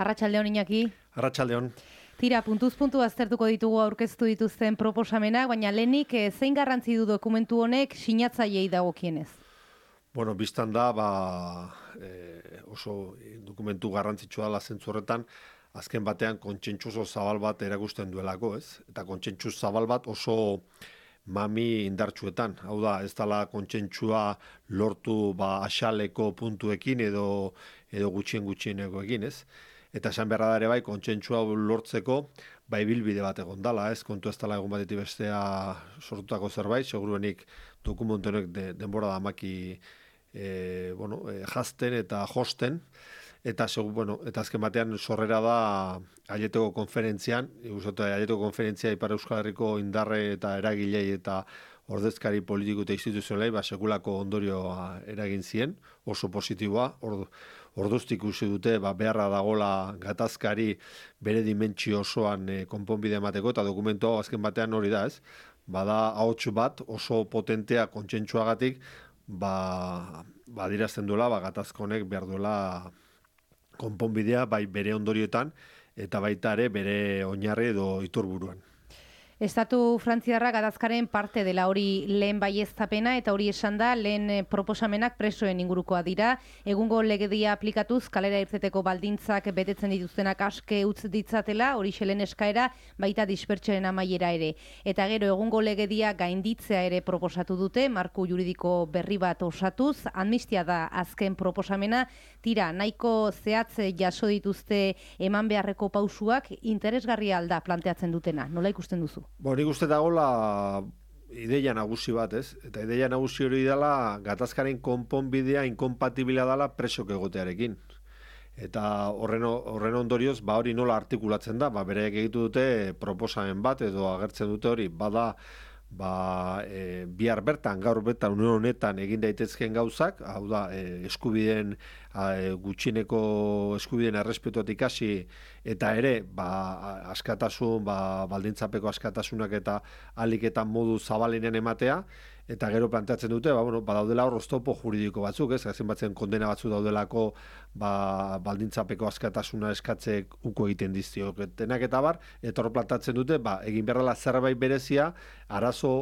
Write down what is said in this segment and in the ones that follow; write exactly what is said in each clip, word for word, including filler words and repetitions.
Arratsaldeon Iñaki. Arratsaldeon. Tira, puntuz puntu aztertuko ditugu aurkeztu dituzten proposamenak, baina lehenik zein garrantzi du dokumentu honek sinatzaileei dagokienez? Bueno, biztan da, ba, e, oso dokumentu garrantzitsua dela zentzu horretan, azken batean kontsentsu oso zabal bat erakusten duelako, ez? Eta kontsentsu zabal bat oso mami indartsuetan. Hau da, ez dela kontsentsua lortu ba asaleko puntuekin edo edo gutxien gutxienekoekin, ez? Eta esan beharra da ere bai, kontsentsua lortzeko bai bilbide bat egon dala, ez? Kontu ez dela egun batetik bestea sortutako zerbait, seguruenik dokumentu honek de, denbora da maki e, bueno, e, jazten eta josten, eta segur, bueno, eta azken batean sorrera da Aieteko konferentzian, uste Aieteko konferentzia Ipar Euskal Herriko indarre eta eragilei eta ordezkari politiko eta instituzionalei ba sekulako ondorioa eragin zien, oso positiboa. Ordu, orduztik ikusi dute ba beharra dagola gatazkari bere dimentsio osoan e, konponbide emateko, eta dokumentu hau azken batean hori da, ez? Bada ahots bat oso potentea kontsentsuagatik ba ba adierazten duela ba gatazka honek behar duela konponbidea bai bere ondorioetan eta baita ere bere oinarri edo iturburuan. Estatu frantziarra gatazkaren parte dela, hori lehen baieztapena, eta hori esan da lehen proposamenak presoen ingurukoa dira. Egungo legedia aplikatuz kalera irteteko baldintzak betetzen dituztenak aske utz ditzatela, hori xelen eskaera baita dispertsioen amaiera ere. Eta gero egungo legedia gainditzea ere proposatu dute, marko juridiko berri bat osatuz, amnistia da azken proposamena. Tira, nahiko zehatz jaso dituzte eman beharreko pausuak, interesgarria alda planteatzen dutena. Nola ikusten duzu? Bo, nik uste dagoela ideia nagusi bat, ez? Eta ideia nagusi hori dela gatazkaren konponbidea inkompatibila dela presok egotearekin. Eta horren, horren ondorioz, ba hori nola artikulatzen da, ba bereak egitu dute proposamen bat edo agertzen dute hori, bada ba, e, bihar bertan, gaur bertan, une honetan egin daitezkeen gauzak, hau da, e, eskubideen, e, gutxieneko eskubideen errespetuat ikasi, eta ere, ba, askatasun, ba, baldintzapeko askatasunak eta aliketa modu zabalenean ematea, eta gero planteatzen dute, ba, bueno, badaudela hor oztopo juridiko batzuk, ez, gazen batzen kondena batzu daudelako, ba, baldintzapeko askatasuna eskatzek uko egiten diztioketenak eta bar, eta hor planteatzen dute, ba, egin behar dela zerbait berezia, arazo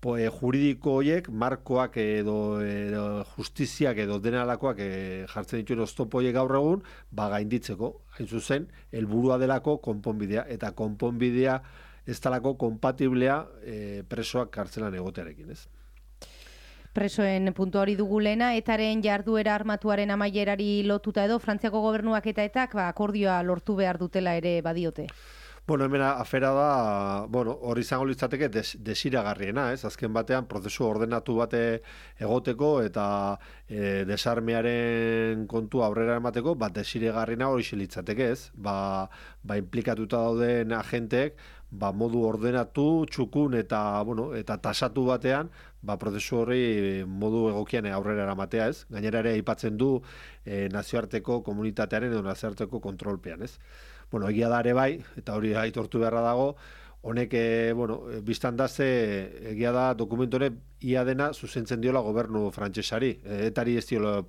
po, e, juridiko horiek, markoak edo, edo justiziak edo denalakoak e, jartzen dituen oztopo horiek gaur egun, ba, gainditzeko, hain zuzen, helburua delako konponbidea, eta konponbidea ez talako kompatiblea e, presoak kartzelan egotearekin, ez? Presoen puntu hori dugu lehena, etaren jarduera armatuaren amaierari lotuta edo, Frantziako gobernuak eta etak ba, akordioa lortu behar dutela ere badiote. Bueno, hemen afera da, bueno, hori izango litzateke des, desiragarriena, ez? Azken batean prozesu ordenatu bate egoteko eta e, desarmearen kontu aurrera emateko, bat desiragarriena hori litzateke, ez? Ba, ba implikatuta dauden agenteek, ba modu ordenatu, txukun eta, bueno, eta tasatu batean, ba prozesu hori modu egokian aurrera eramatea, ez? Gainera ere aipatzen du e, nazioarteko komunitatearen edo nazioarteko kontrolpean, ez? Bueno, egia da ere bai, eta hori aitortu beharra dago, honek, e, bueno, biztan da ze, egia da dokumentu honek ia dena zuzentzen diola gobernu frantsesari, e, etari ez diola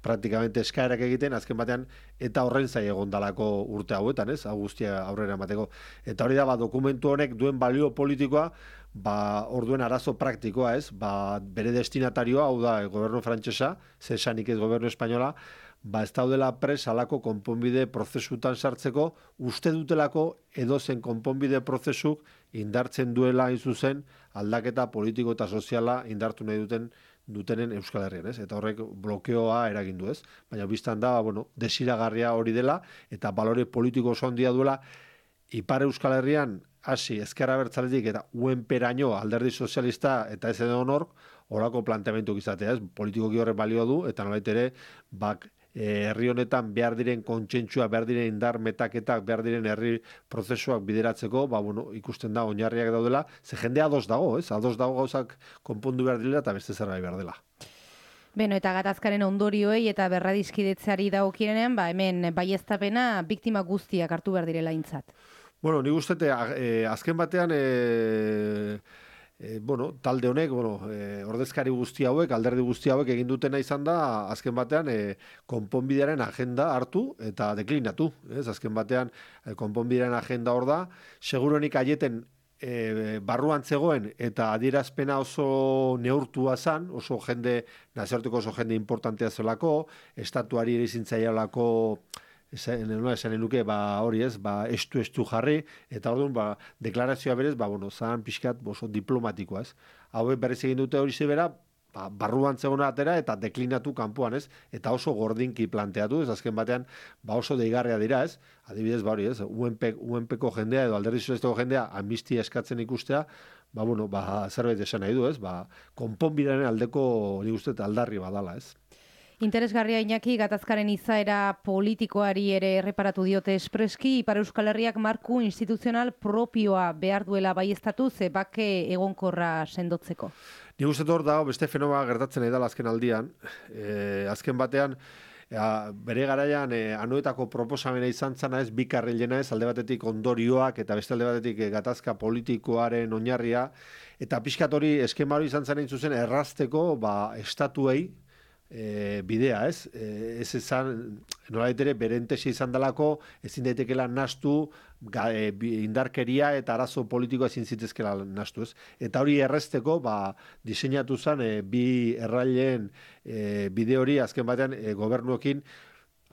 praktikamente eskaerak egiten, azken batean, eta horren zai egon dalako urte hauetan, ez? Hau guztia aurrera emateko. Eta hori da, ba, dokumentu honek duen balio politikoa, ba, orduen arazo praktikoa, ez? Ba, bere destinatarioa, hau da, gobernu frantsesa, ze esanik ez gobernu espainola, ba, ez daudela pres alako konponbide prozesutan sartzeko, uste dutelako edozen konponbide prozesuk indartzen duela hain zuzen aldaketa politiko eta soziala indartu nahi duten dutenen Euskal Herrian, ez? Eta horrek blokeoa eragin du, ez? Baina biztan da, bueno, desiragarria hori dela eta balore politiko oso handia duela Ipar Euskal Herrian hasi ezker abertzaletik eta U N P-raino alderdi sozialista eta ez edo honork horako planteamendu izatea, ez? Politikoki horrek balio du eta nolait ere bak herri honetan behar diren kontsentsua, behar diren indar metaketak, behar diren herri prozesuak bideratzeko, ba, bueno, ikusten da oinarriak daudela, ze jende ados dago, ez? Ados dago gauzak konpondu behar direla eta beste zerbait behar dela. Beno, eta gatazkaren ondorioei eta berradizkidetzeari dagokienean, ba, hemen baieztapena biktima guztiak hartu behar direla aintzat. Bueno, nik uste, e, azken batean, e, E, bueno, talde honek, bueno, e, ordezkari guzti hauek, alderdi guzti hauek egin dutena izan da, azken batean, e, konponbidearen agenda hartu eta deklinatu. Ez? Azken batean, e, konponbidearen agenda hor da, seguruenik aieten e, barruan zegoen eta adierazpena oso neurtua zan, oso jende, nazioarteko oso jende importantea zelako, estatuari ere zintzaialako, esan, esan nuke, ba, hori ez, ba, estu-estu jarri, eta orduan, ba, deklarazioa berez, ba, bueno, zan pixkat oso diplomatikoa, ez. Hauek berriz egin dute hori zebera, ba, barruan zegona atera eta deklinatu kanpoan, ez, eta oso gordinki planteatu, ez, azken batean, ba, oso deigarria dira, ez, adibidez, ba, hori ez, U N P-ko jendea edo alderdi sozialistako jendea amnistia eskatzen ikustea, ba, bueno, ba, zerbait esan nahi du, ez, ba, konponbidearen aldeko, nik uste, aldarri badala, ez. Interesgarria Iñaki, gatazkaren izaera politikoari ere erreparatu diote espreski, Ipar Euskal Herriak marku instituzional propioa behar duela baieztatu, ze bake egonkorra sendotzeko. Nik uste hor dago beste fenoma gertatzen edala azken aldian. E, azken batean, ja, bere garaian e, anuetako proposamena izan zana ez, bi karrilena ez, alde batetik ondorioak eta beste alde batetik e, gatazka politikoaren oinarria, eta pixkat hori eskema hori izan zaren zuzen errazteko ba, estatuei, E, bidea, ez? E, ez ezan, nolait ere, berentesi izan dalako, ezin daitekela nastu, ga, e, indarkeria eta arazo politikoa ezin zitezkela nastu, ez? Eta hori errezteko, ba, diseinatu zen, e, bi erraileen e, bide hori, azken batean, e, gobernuekin,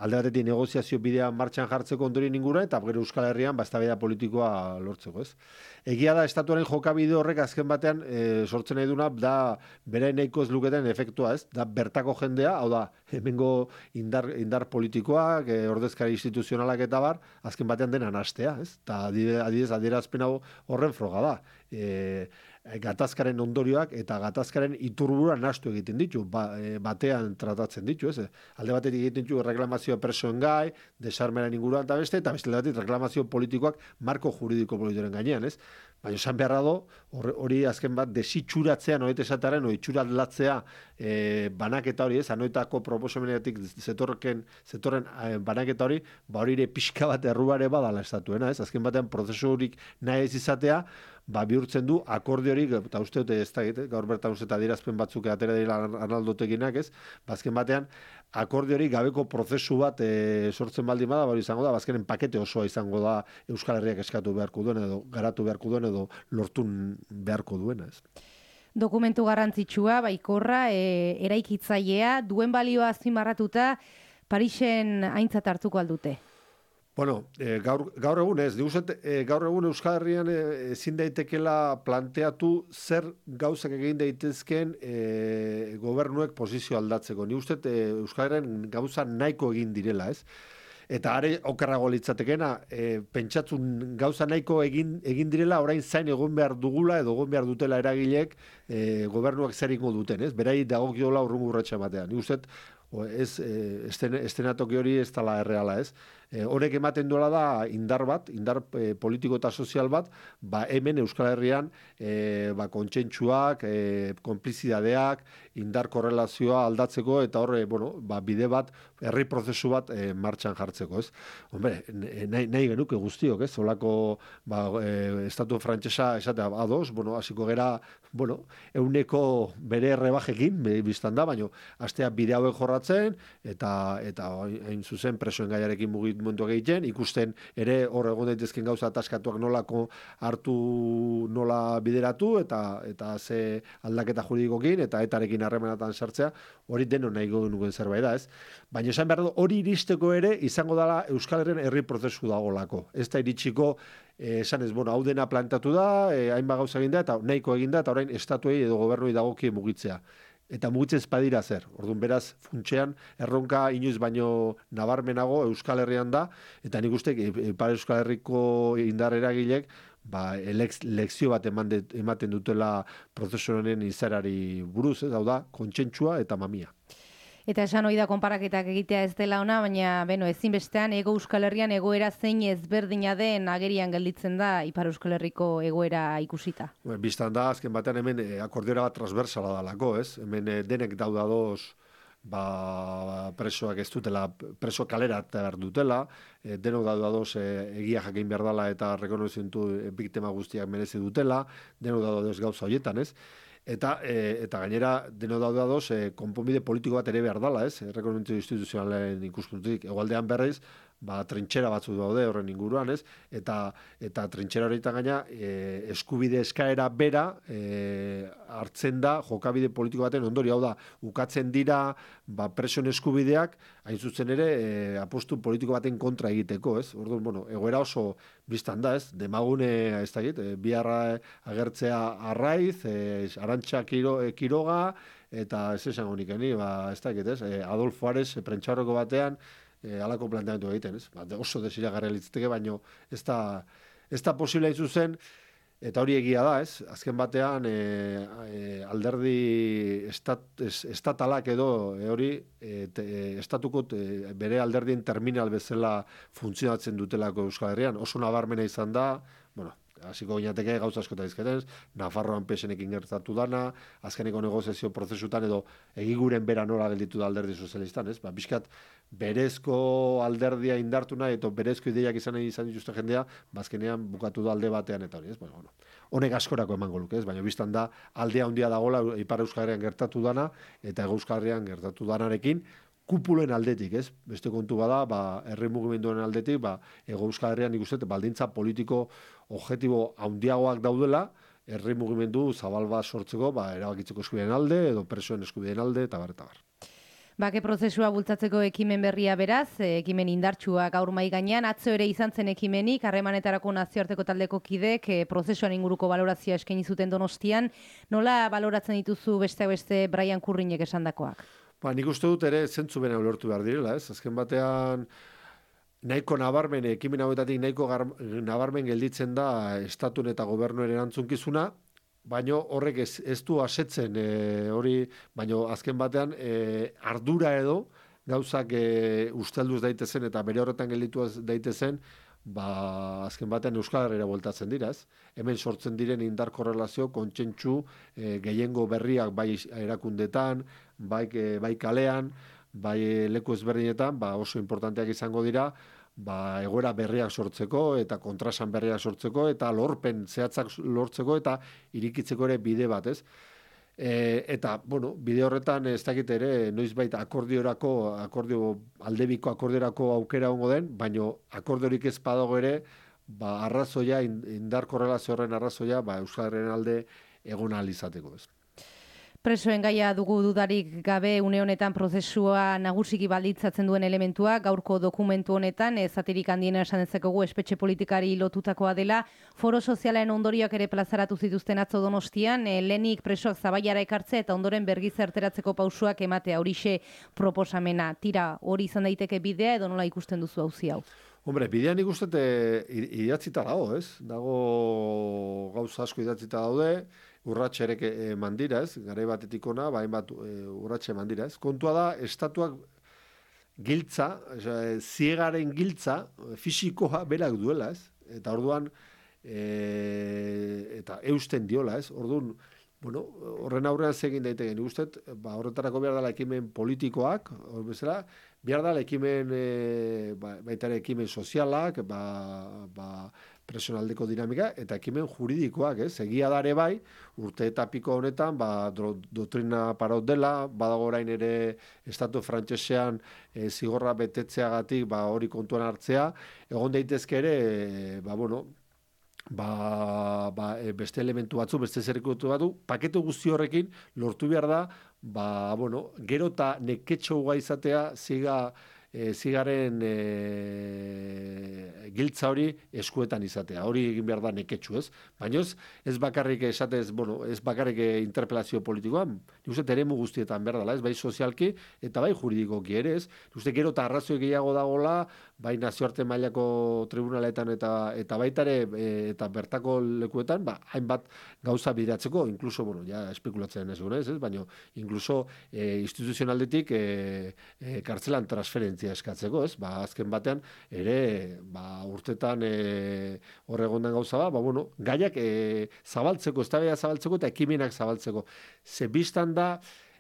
alde batetik negoziazio bidea martxan jartzeko ondorien ingura, eta gero Euskal Herrian, ba, eztabaida politikoa lortzeko, ez? Egia da, estatuaren jokabide horrek azken batean e, sortzen nahi duna, da bere nahiko ez luketen efektua, ez? Da bertako jendea, hau da, hemengo indar, indar politikoak, e, ordezkari instituzionalak eta bar, azken batean dena nastea, ez? Eta adibidez, adierazpen hau horren froga da. E, gatazkaren ondorioak eta gatazkaren iturbura nastu egiten ditu, ba, e, batean tratatzen ditu, ez? Alde batetik egiten ditu reklamazioa persoen gai, desarmearen inguruan eta beste, eta beste batetik reklamazio politikoak marko juridiko politikoaren gainean, ez? Baina esan beharra do, hori azken bat desitxuratzea, noet esataren, hori itxuratlatzea e, banaketa hori, ez? Anoetako proposamenetik zetorren, zetorren e, banaketa hori, ba hori ere pixka bat errubare badala estatuena, ez? Azken batean prozesu horik nahi ez izatea, ba bihurtzen du akordiorik, eta uste dute ez da, gaur bertan uste eta adierazpen batzuk atera dira Arnaldoteginak, ez? Bazken batean, akordiorik gabeko prozesu bat e, sortzen baldin bada, bari izango da, bazkenen pakete osoa izango da Euskal Herriak eskatu beharko duen edo garatu beharko duen edo lortu beharko duena, ez? Dokumentu garrantzitsua, baikorra, e, eraikitzailea, duen balioa azpimarratuta, Parisen aintzat hartuko aldute. Bueno, e, gaur, gaur egun ez, diguzet, e, gaur egun Euskal Herrian e, ezin daitekela planteatu zer gauzak egin daitezken e, gobernuek posizio aldatzeko. Ni uste e, Euskal Herrian gauza nahiko egin direla, ez? Eta are okerrago litzatekena, e, pentsatzun gauza nahiko egin, egin direla, orain zain egon behar dugula edo egon behar dutela eragilek e, gobernuak zer ingo duten, ez? Berai dagokiola urrungu urratxa batean. Ni uste, ez, e, esten, estenatoki hori ez dela erreala, ez? E, horrek ematen duela da indar bat, indar e, politiko eta sozial bat, ba hemen Euskal Herrian e, ba, kontsentsuak, e, konplizidadeak, indar korrelazioa aldatzeko eta horre, bueno, ba, bide bat, herri prozesu bat e, martxan jartzeko, ez? Hombre, nahi, nahi genuke guztiok, ez? Olako, ba, e, estatu frantsesa esatea ados, bueno, hasiko gera, bueno, euneko bere errebajekin, biztan da, baina astea bide hauek jorratzen, eta, eta hain zuzen presoen gaiarekin mugimenduak egiten, ikusten ere hor egon daitezken gauza ataskatuak nolako hartu nola bideratu, eta eta ze aldaketa juridikokin, eta etarekin harremanatan sartzea, hori deno nahi genuen zerbait da, ez? Baina esan behar du, hori iristeko ere izango dela Euskal Herrian herri prozesu dagolako. Ez da iritsiko, eh, esan ez, bueno, hau dena plantatu da, eh, hainba gauza egin da, eta nahiko egin da, eta orain estatuei edo gobernuei dagokie mugitzea. Eta mugitzen espadira zer. Orduan beraz, funtsean, erronka inoiz baino nabarmenago Euskal Herrian da, eta nik uste, Ipar Euskal Herriko indar eragilek, ba, lekzio bat ematen dutela prozesu honen izarari buruz, ez, hau da, kontsentsua eta mamia. Eta esan hori da konparaketak egitea ez dela ona, baina beno, ezinbestean Hego Euskal Herrian egoera zein ezberdina den agerian gelditzen da Ipar Euskal Herriko egoera ikusita. Bueno, bistan da, azken batean hemen akordiora bat transversala dalako, ez? Hemen denek daudadoz ba, presoak ez dutela, preso kalera behar dutela, e, denok daude ados e, egia jakin behar dela eta rekonozimentu biktima guztiak merezi dutela, denok daude ados gauza horietan, ez? Eta, e, eta gainera, denok daude ados, e, konponbide politiko bat ere behar dela, ez? Rekonozimentu instituzionalen ikuspuntutik. Egoaldean berriz, ba, trintxera batzu daude horren inguruan, ez? Eta, eta trintxera horietan gaina, e, eskubide eskaera bera e, hartzen da jokabide politiko baten ondori, hau da, ukatzen dira ba, presoen eskubideak, hain zuzen ere, e, apostu politiko baten kontra egiteko, ez? Orduan, bueno, egoera oso biztan da, ez? Demagune, ez da egit, e, biharra agertzea Arraiz, e, Arantxa Kiro, e, Kiroga, eta ez esan honikeni, ba, ez da egit, ez? E, Adolfo Ares, e, prentxarroko batean, E, alako planteamendu egiten, ez? Ba, oso desiragarria litzateke, baino ez da, ez da posible hain zuzen, eta hori egia da, ez? Azken batean, e, e, alderdi estat, es, estatalak edo e, hori e, te, e, estatuko e, bere alderdien terminal bezala funtzionatzen dutelako Euskal Herrian. Oso nabarmena izan da, bueno, hasiko ginateke gauza asko eta izketen, Nafarroan pesenekin gertatu dana, azkeneko negoziazio prozesutan edo egiguren bera nola gelditu da alderdi sozialistan, ez? Ba, bizkat berezko alderdia indartu nahi, eta berezko ideiak izan nahi izan dituzte jendea, bazkenean bukatu da alde batean eta hori, ez? Bueno, bueno, honek askorako emango luke, ez? Baina biztan da aldea handia dagoela Ipar Euskal Herrian gertatu dana, eta Hego Euskal Herrian gertatu danarekin, kupulen aldetik, ez? Beste kontu bada, ba, herri mugimenduen aldetik, ba, Hego Euskal Herrian nik uste, baldintza politiko objektibo handiagoak daudela, herri mugimendu zabal bat sortzeko, ba, erabakitzeko eskubideen alde, edo presoen eskubideen alde, eta bar, eta bar. Bake prozesua bultzatzeko ekimen berria beraz, ekimen indartsua gaur mai gainean, atzo ere izan zen ekimenik, harremanetarako nazioarteko taldeko kidek, e, prozesuan inguruko balorazioa eskaini zuten Donostian, nola baloratzen dituzu beste beste Brian Kurrinek esandakoak? Ba, nik uste dut ere zentzu bena ulertu behar direla, ez? Azken batean, nahiko nabarmen, ekimen hauetatik nahiko gar, nabarmen gelditzen da estatun eta gobernuen erantzunkizuna, baino horrek ez, ez du asetzen e, hori, baino azken batean e, ardura edo gauzak e, ustelduz daitezen eta bere horretan gelditu daitezen, ba, azken batean Euskal Herrira bueltatzen dira, ez? Hemen sortzen diren indar korrelazio, kontsentsu, e, gehiengo berriak bai erakundetan, bai, e, bai kalean, bai leku ezberdinetan, ba, oso importanteak izango dira, ba, egoera berriak sortzeko eta kontrasan berriak sortzeko eta lorpen zehatzak lortzeko eta irikitzeko ere bide bat, ez? E, eta, bueno, bide horretan ez dakit ere, noizbait akordiorako, akordio, aldebiko akordiorako aukera ongo den, baino akordiorik ez badago ere, ba, arrazoia, indar korrelazio horren arrazoia, ba, Euskal Herriaren alde egon ahal izateko, ez? Presoen gaia dugu dudarik gabe une honetan prozesua nagusiki balditzatzen duen elementua, gaurko dokumentu honetan, ezaterik handiena esan dezakegu espetxe politikari lotutakoa dela, foro sozialen ondorioak ere plazaratu zituzten atzo Donostian, e, lehenik presoak zabaiara ekartzea eta ondoren bergizarteratzeko pausuak ematea horixe proposamena. Tira, hori izan daiteke bidea edo nola ikusten duzu auzi hau? Hombre, bidean ikusten idatzita dago, ez? Dago gauza asko idatzita daude, urratxe ere eman dira, ez? Garai batetik ona, ba, hainbat e, urratxe eman dira, ez? Kontua da, estatuak giltza, ziegaren giltza, fisikoa berak duela, ez? Eta orduan, e, eta eusten diola, ez? Orduan, bueno, horren aurrean zegin daiteke, nik uste, ba, horretarako behar dela ekimen politikoak, hor bezala, behar dela ekimen, e, ba, baita ere ekimen sozialak, ba, ba, presionaldeko dinamika, eta ekimen juridikoak, ez? Egia dare bai, urte eta piko honetan, ba, do, doktrina paraut dela, badago orain ere estatu frantsesean e, zigorra betetzeagatik, ba, hori kontuan hartzea, egon daitezke ere, e, ba, bueno, ba, ba, beste elementu batzu, beste zerrikutu batzu, paketu guzti horrekin lortu behar da, ba, bueno, gero eta neketxo guai izatea ziga, e, zigaren e, giltza hori eskuetan izatea. Hori egin behar da neketxu, ez? Baina ez, ez bakarrik esatez, bueno, ez bakarrik interpelazio politikoan, nik uste teremu guztietan behar dela, ez? Bai sozialki eta bai juridikoki ere, ez? Nik uste gero eta arrazoi gehiago dagoela, bai nazioarte mailako tribunaletan eta eta baita ere e, eta bertako lekuetan, ba, hainbat gauza bideratzeko, inkluso, bueno, ja espekulatzen ez ez, ez? Baina inkluso e, instituzionaldetik e, e, kartzelan transferentzia eskatzeko, ez? Ba, azken batean ere, ba, urtetan e, horregondan gauza ba, ba, bueno, gaiak e, zabaltzeko, eztabaida zabaltzeko eta ekimenak zabaltzeko. Ze bistan da,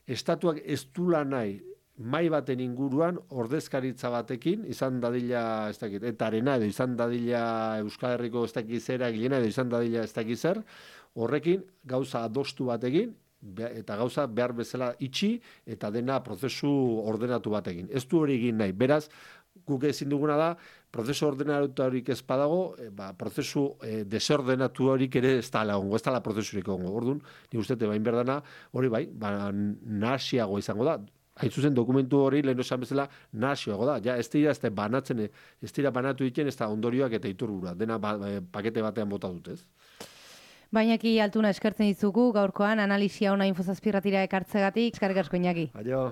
estatuak ez dula nahi mai baten inguruan ordezkaritza batekin izan dadila ez dakit, eta arena edo izan dadila Euskal Herriko ez dakit zera egilena edo izan dadila ez dakit zer, horrekin gauza adostu batekin eta gauza behar bezala itxi eta dena prozesu ordenatu batekin. Ez du hori egin nahi. Beraz, guk ezin duguna da, prozesu ordenatu horik ez badago, e, ba, prozesu e, desordenatu horik ere ez da lagongo, ez da la prozesurik ongo. Orduan, ni ustete bain berdana, hori bai, ba, nahasiago izango da. Hain zuzen dokumentu hori lehen esan bezala nahasiago da. Ja, ez dira ez da banatzen, ez dira banatu ditzen, ez da ondorioak eta iturbura. Dena ba, pakete batean bota dut, ez? Bainaki Altuna eskertzen dizugu gaurkoan analisia ona Info zazpi irratira ekartzegatik. Eskerrik asko, Iñaki. Aio.